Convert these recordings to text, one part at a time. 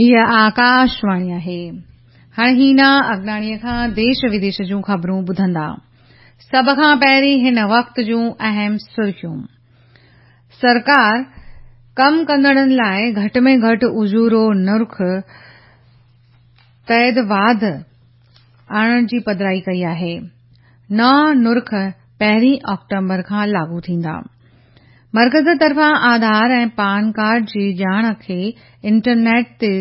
هيء آڪاشواڻي آهي. هاڻي هينا اگناڻيء کان ديش وديش جون خبرون ٻڌندا. سڀ کان پهرين هن وقت جون اهم سرخيون. سرڪار ڪم ڪندڙن لاء گهٽ ۾ گهٽ اجورو نرخ تحت واڌ آڻڻ جي پڌرائي ڪئي آهي. نوان نرخ پهرين آڪٽومبر کان لاڳو ٿيندا. مرڪز طرفان آڌار ۽ پان ڪارڊ جي ڄاڻ کي انٽرنيٽ تي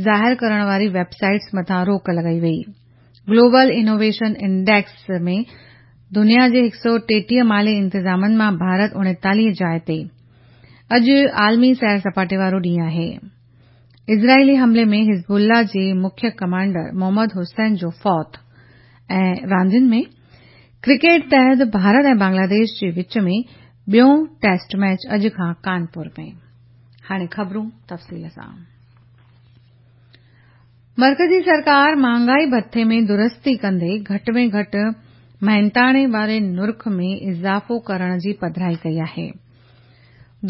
ظاهر ڪرڻ واري ويب سائيٽس مٿان روڪ لڳائي وئي. گلوبل انوويشن انڊيڪس ۾ دنيا جي 133 مالي انتظامن مان ڀارت 39 جاء تي. اڄ عالمي سير سپاٽي وارو ڏينهن آهي. اسرائيلي حملي ۾ حزب الله جي مکيه ڪمانڊر محمد حسين جو فوت ۽ راندين ۾ ڪرڪيٽ تحت ڀارت ۽ بنگلاديش جي وچ ۾ ٻيون ٽيسٽ ميچ اڄ کان ڪانپور ۾. هاڻي خبرون تفصيل سان. مرڪزي سرڪار مهانگائي ڀٿي ۾ درستي ڪندي گهٽ ۾ گهٽ محنتاڻي واري نرخ ۾ اضافو ڪرڻ جي پڌرائي ڪئي آهي.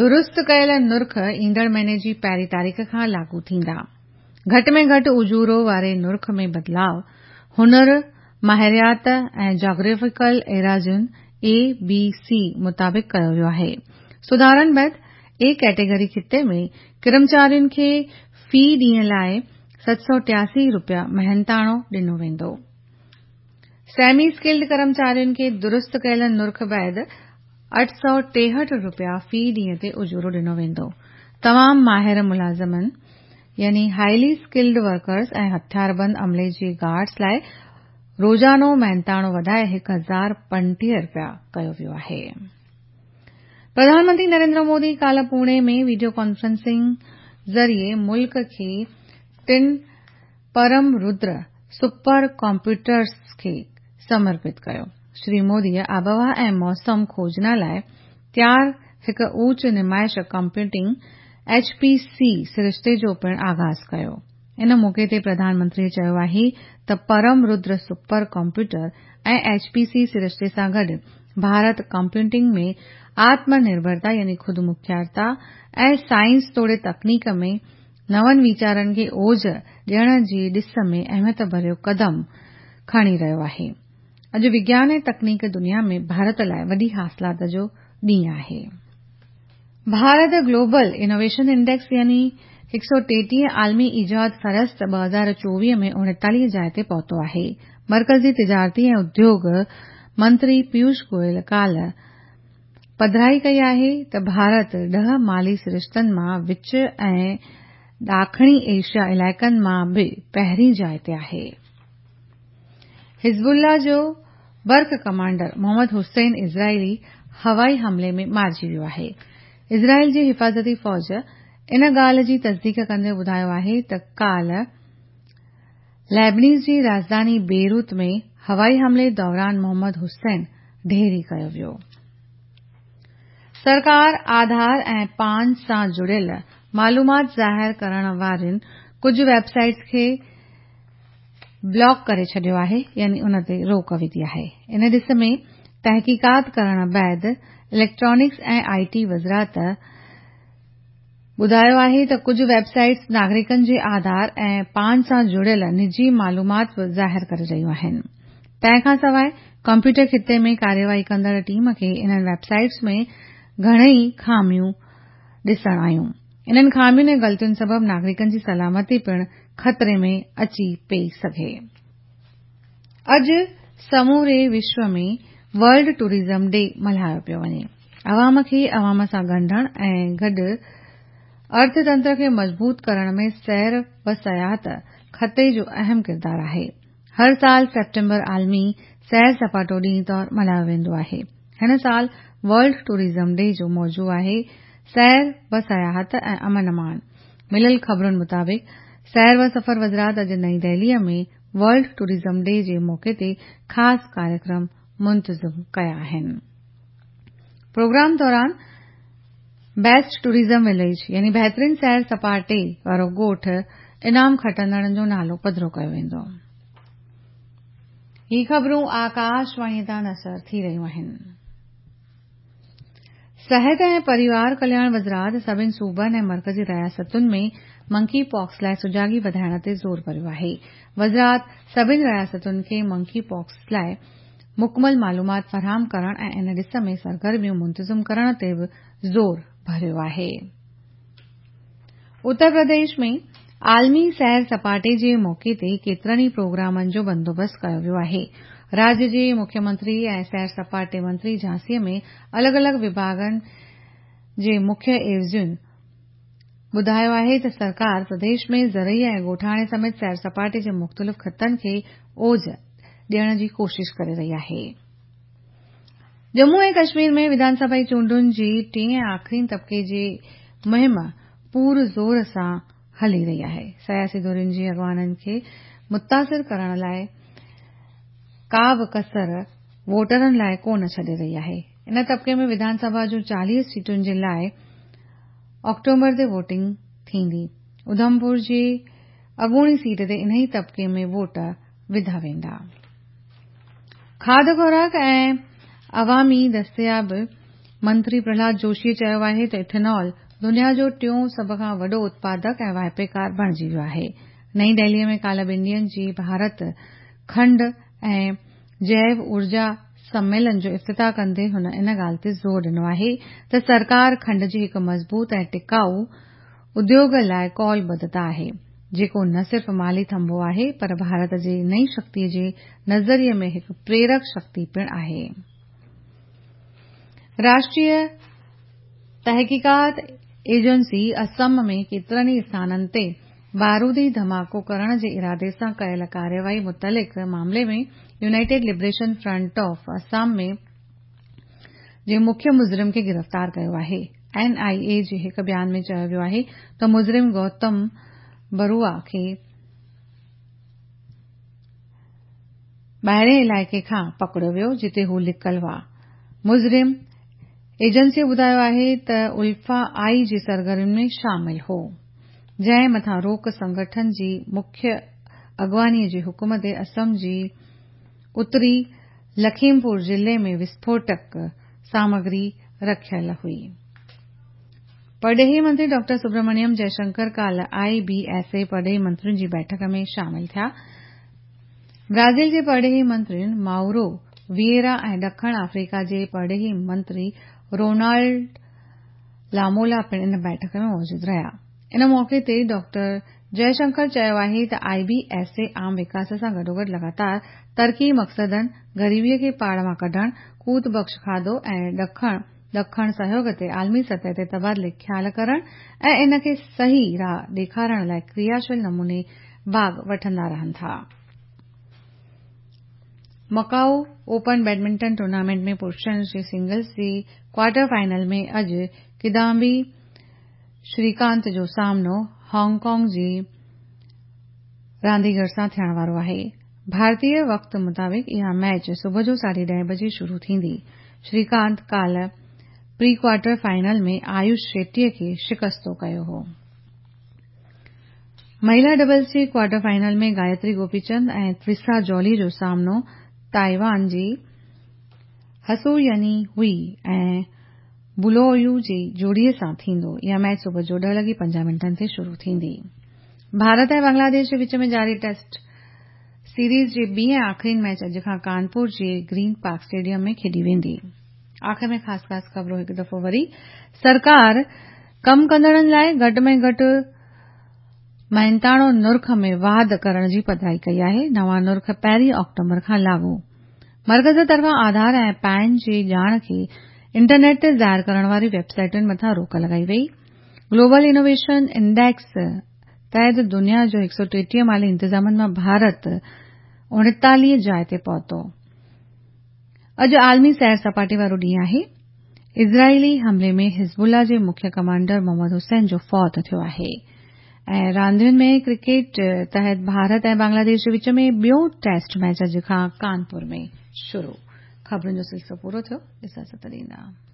درست ڪيل نرخ ايندڙ مهيني جي پهرين تاريخ کان لاڳو ٿيندا. گهٽ ۾ گهٽ اجورو واري نرخ ۾ بدلاء هنر، ماهريات ۽ جاگرافيڪل ايراضين، اي بي سي، مطابق ڪيو ويو آهي. سڌارن بعد اي ڪيٽيگري خطي ۾ ڪرمچارين کي في ڏينهن لاء 783 رپيا محنتاڻو ڏنو ويندو. سيمي اسڪلڊ ڪرمچارين کي درست ڪيل نرخ بعد 863 رپيا في ڏينهن تي اجورو ڏنو ويندو. تمام ماهر ملازمن يعني هائلي اسڪلڊ ورڪرز ۽ هٿياربند عملي جي گارڊز لاء روزانو محنتاڻو وڌائي 1035 رپيا ڪيو ويو آهي. پرڌان منتري نريندر مودي ڪالهه پوڻي ۾ وڊيو ڪانفرنسنگ ذريعي ملڪ کي ٽن پرم ردر سپر ڪمپيوٽرز کي سمرپت ڪيو. شري موديء آبهوا ۽ موسم کوجنا لاء تيار هڪ اوچ نمائش ڪمپيوٽنگ، ايڇ پي سي، سرشتي جو پڻ آغاز ڪيو. ان موقعي تي پرڌان منتريء چيو آهي ته Param Rudra super computer ۽ H P C سرشتي سان گڏ ڀارت ڪمپيوٽنگ ۾ آتم نرڀرتا يعني خودمختيارتا ۽ سائنس توڙي تڪنيڪ ۾ نون ويچارن کي اوج ڏيڻ جي ڏس ۾ اهميت ڀريو قدم کڻي رهيو آهي. اڄ وگيان ۽ تڪنيڪ دنيا ۾ ڀارت لاء وڏي حاصلات جو ڏينهن آهي. ڀارت گلوبل انوويشن انڊيڪس يعني 133 عالمي ايجاد فهرست 2024 ۾ 39 جاء تي پهتو آهي. مرڪزي تجارتي ۽ اديوگ منتري پيوش گوئل ڪالهه پڌرائي ڪئي آهي ته ڀارت ڏهه مالي سرشتن مان وچ ۽ ڏاکڻي ايشيا علائقن مان به پهرين جاء تي آهي. حزب الله جو برک ڪمانڊر محمد حسين اسرائيلي هوائي حملي ۾ مارجي ويو آهي. اسرائيل جي حفاظتي فوج ان ڳالهه جي تصديق ڪندي ٻڌايو آهي ته ڪالهه ليبنيز جي راڄڌاني بيروت ۾ هوائي حملي دوران محمد حسين ڍيري ڪيو ويو. سرڪار آڌار ۽ پان سان جڙيل معلومات ظاهر ڪرڻ وارين ڪجهه ويب سائيٽس کي بلاڪ ڪري ڇڏيو آهي يعني ان تي روڪ وڌي آهي. ان ڏس ۾ تحقيقات ڪرڻ بعد اليڪٽرانڪس ۽ I ٽي وزارت ٻڌايو آهي ته ڪجهه ويب سائيٽس ناگرڪن جي آڌار ۽ پان سان جڙيل نجي معلومات به ظاهر ڪري رهيون آهن. تنهن کانسواء ڪمپيوٽر خطي ۾ ڪارروائي ڪندڙ ٽيم کي انهن ويب سائيٽس ۾ گهڻئي خاميون ڏسڻ آيون. انهن خامين ۽ غلطين سبب ناگرڪن جي سلامتي پڻ خطري ۾ اچي پئي سگهي. اڄ سموري وشو ۾ ورلڊ ٽوئرزم ڊي ملهايو پيو وڃي. عوام کي عوام سان ڳنڍڻ ۽ گڏ ارٿ تنتر کي مضبوط ڪرڻ ۾ سير و سياحت خطي جو اهم ڪردار آهي. هر سال سيپٽمبر عالمي سير سپاٽو ڏينهن طور ملهايو ويندو آهي. هن سال ورلڊ ٽوئرزم ڊي جو موضوع آهي سير و سياحت ۽ امن امان. مليل خبرن مطابق سير و سفر وزارت اڄ نئين دهلي ۾ ورلڊ ٽوئرزم ڊي جي موقعي تي خاص ڪاريڪرم منتظم ڪيا آهن. پروگرام دوران بيسٽ ٽوئرزم وليج يعني بهترين سير سپاٽي وارو ڳوٺ انعام کٽندڙن جو نالو پڌرو ڪيو ويندو. هي خبرون آڪاشواڻي تان نشر ٿي رهيون آهن. صحت ۽ پريوار ڪلياڻ وزارت سڀني صوبن ۽ مرڪزي رياستن ۾ منڪي پاڪس لاء سجاڳي وڌائڻ تي زور ڀريو آهي. وزارت سڀني رياستن کي منڪي پاڪس لاء مڪمل معلومات فراهم ڪرڻ ۽ ان ڏس ۾ سرگرميون منتظم ڪرڻ تي به زور ڀريو آهي. اتر پرديش ۾ عالمي سير سپاٽي جي موقعي تي ڪيترن ئي پروگرامن جو بندوبست ڪيو ويو آهي. راڄ جي مکيه منتري ۽ سير سپاٽي منتري جهانسي ۾ الڳ الڳ وڀاڳن جي مکيه عيوضين ٻڌايو آهي ته سرڪار پرديش ۾ زرعي ۽ ڳوٺاڻي سميت سير سپاٽي جي مختلف خطن کي اوج ڏيڻ جي ڪوشش ڪري رهي آهي. ڄمون ۽ ڪشمير ۾ وڌان سڀائي چونڊن جي ٽئين ۽ آخرين طبقي جي مهم پور زور سان هلي رهي آهي. سياسي ڌرين جي اڳواڻن کي متاثر ڪرڻ لاء ڪا به ڪسر ووٽرن لاء ڪو نه ڇڏي رهي آهي. ان طبقي ۾ وڌان سڀا جون 40 سيٽن جي لاء آڪٽوبر تي ووٽنگ ٿيندي. اڌمپور جي اڳوڻي سيٽ تي انهي طبقي ۾ ووٽ وڌا ويندا. کاڌ خوراڪ ۽ عوامي دستيابي منتري پرهلاد جوشي چيو آهي ته ايٿانول دنيا جو ٽيون سڀ کان وڏو اتپادڪ ۽ واهپيڪار بڻجي ويو آهي. نئين دهلي ۾ ڪالهه ٻن ڏينهن جي ڀارت کنڊ ۽ جيو اورجا سميلن جو افتتاح ڪندي هن ان ڳالهه تي زور ڏنو آهي ته سرڪار کنڊ جي هڪ مضبوط ۽ ٽڪائو اديوڳ لاء قولبڌتا آهي، جيڪو نه صرف مالي ٿنڀو آهي پر ڀارت جي نئين شڪتي جي نظريي ۾ هڪ پريرڪ شڪتي پڻ آهي. راشٽريه تحقيقات ايجنسي اسم ۾ ڪيترن ئي اسٿانن تي بارودي ڌماڪو ڪرڻ جي ارادي سان ڪيل ڪارروائي متعلق معاملي ۾ united liberation front of Assam ۾ جي مکيه مجرم کي گرفتار ڪيو آهي. اين آء اي جي هڪ بيان ۾ چيو ويو آهي ته مجرم گوتم بروا کي ٻاهرئين علائقي کان پڪڙيو ويو جتي هو لڪل هئا. مجرم ايجنسيء ٻڌايو آهي ته الفا آء جي سرگرمين ۾ شامل هو، جنهن مٿان روڪ سنگٺن جي مکيه اڳواڻي جي حڪم تي اسم جي اتري لکيمپور ضلعي ۾ وسڦوٽڪ سامگري رکيل هئي. پرڏيهي منتري ڊاڪٽر سبرامنيم جئشنڪر ڪالهه آء بي ايس اي پرڏيهي منترين جي بيٺڪ ۾ شامل ٿيا. برازيل جي پرڏيهي منتري مائورو ويئرا ۽ ڏکڻ آفريڪا جي پرڏيهي منتري رونالڊ لامولا پڻ ان بيٺڪ ۾ موجود رهيا. ان موقعي تي ڊاڪٽر جئشنڪر چيو آهي ته آء بي ايس اي عام وڪاس سان گڏوگڏ لڳاتار ترقي مقصدن، غريبي کي پاڙ مان ڪڍڻ، قوت بخش کاڌو ۽ ڏکڻ ڏکڻ سهيوڳ تي عالمي سطح تي تبادلي خيال ڪرڻ ۽ ان کي صحيح راهه ڏيکارڻ لاء ڪرياشيل نموني ڀاڳ وٺندا رهن ٿا. مڪائو اوپن بيڊمنٽن ٽورنامينٽ ۾ پرشن جي سنگلز جي ڪوارٽر فائنل ۾ اڄ ڪدامبي شريڪانت جو سامنو هانگ ڪانگ جي رانديگر سان ٿيڻ وارو آهي. ڀارتي وقت مطابق اها ميچ صبح جو 10:30 بجي شروع ٿيندي. شريڪانت ڪالهه pre quarter final ۾ Ayush Shetty کي شڪستو ڪيو هو. مهلا ڊبلز جي ڪوارٽر فائنل ۾ گايتري گوپي چند ۽ تريسا جولي جو سامنو تائيوان جي هسو يني هوئي ۽ بلويو جي جوڙي سان ٿيندو. اها ميچ صبح جو 10:50 تي شروع ٿيندي. ڀارت ۽ بنگلاديش جي وچ ۾ جاري ٽيسٽ سيريز جي ٻي ۽ آخرين ميچ اڄ کان ڪانپور جي گرين پارڪ اسٽيڊيم ۾ کيڏي ويندي. آخر ۾ خاص خاص خبرون هڪ دفعو وري سرڪار ڪم ڪندڙن لاء گهٽ ۾ گهٽ محنتاڻو نرخ ۾ واڌ ڪرڻ جي پڌرائي ڪئي آهي. نوان نرخ 1 آڪٽوبر کان لاڳو. مرڪز طرفان آڌار ۽ پين جي ڄاڻ کي انٽرنيٽ تي ظاهر ڪرڻ واري ويب سائيٽن مٿان روڪ لڳائي وئي. گلوبل انوويشن انڊيڪس تحت دنيا جو 133 مالي انتظامن مان ڀارت 39 جاء تي پهتو. اڄ عالمي سير سپاٽي وارو ڏينهن آهي. اسرائيلي حملي ۾ حزب الله جي مکيه ڪمانڊر محمد حسين جو فوت ٿيو آهي ۽ راندين ۾ ڪرڪيٽ تحت ڀارت ۽ بنگلاديش جي وچ ۾ ٻيو ٽيسٽ ميچ اڄ کان ڪانپور ۾ شروع. خبرن جو سلسلو پورو ٿيو. اجازت ڏيندا.